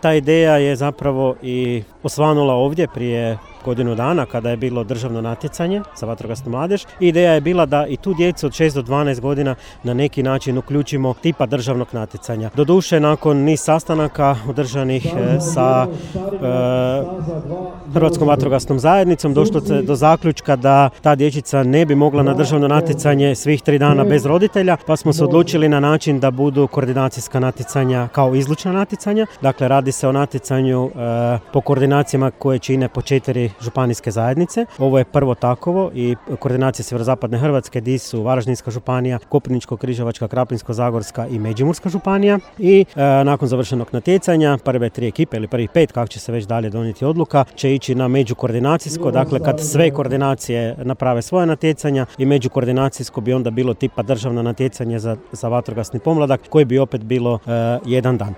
Ta ideja je zapravo i osvanula ovdje prije godinu dana kada je bilo državno natjecanje za vatrogasnu mladež. Ideja je bila da i tu djecu od 6 do 12 godina na neki način uključimo tipa državnog natjecanja. Doduše, nakon niz sastanaka održanih sa Hrvatskom vatrogasnom zajednicom došlo se do zaključka da ta dječica ne bi mogla na državno natjecanje svih 3 dana bez roditelja, pa smo se odlučili na način da budu koordinacijska natjecanja kao izlučna natjecanja. Dakle, radi se o natjecanju po koordinacijama koje čine po 4 županijske zajednice. Ovo je prvo takovo i koordinacije sjeverozapadne Hrvatske gdje su Varaždinska županija, Koprivničko-križevačka, Krapinsko-zagorska i Međimurska županija. I nakon završenog natjecanja prve 3 ekipe ili prvih 5, kako će se već dalje donijeti odluka, će ići na međukoordinacijsko. Dakle, kad sve koordinacije naprave svoje natjecanja i međukoordinacijsko bi onda bilo tipa državno natjecanje za vatrogasni pomladak koji bi opet bilo jedan dan.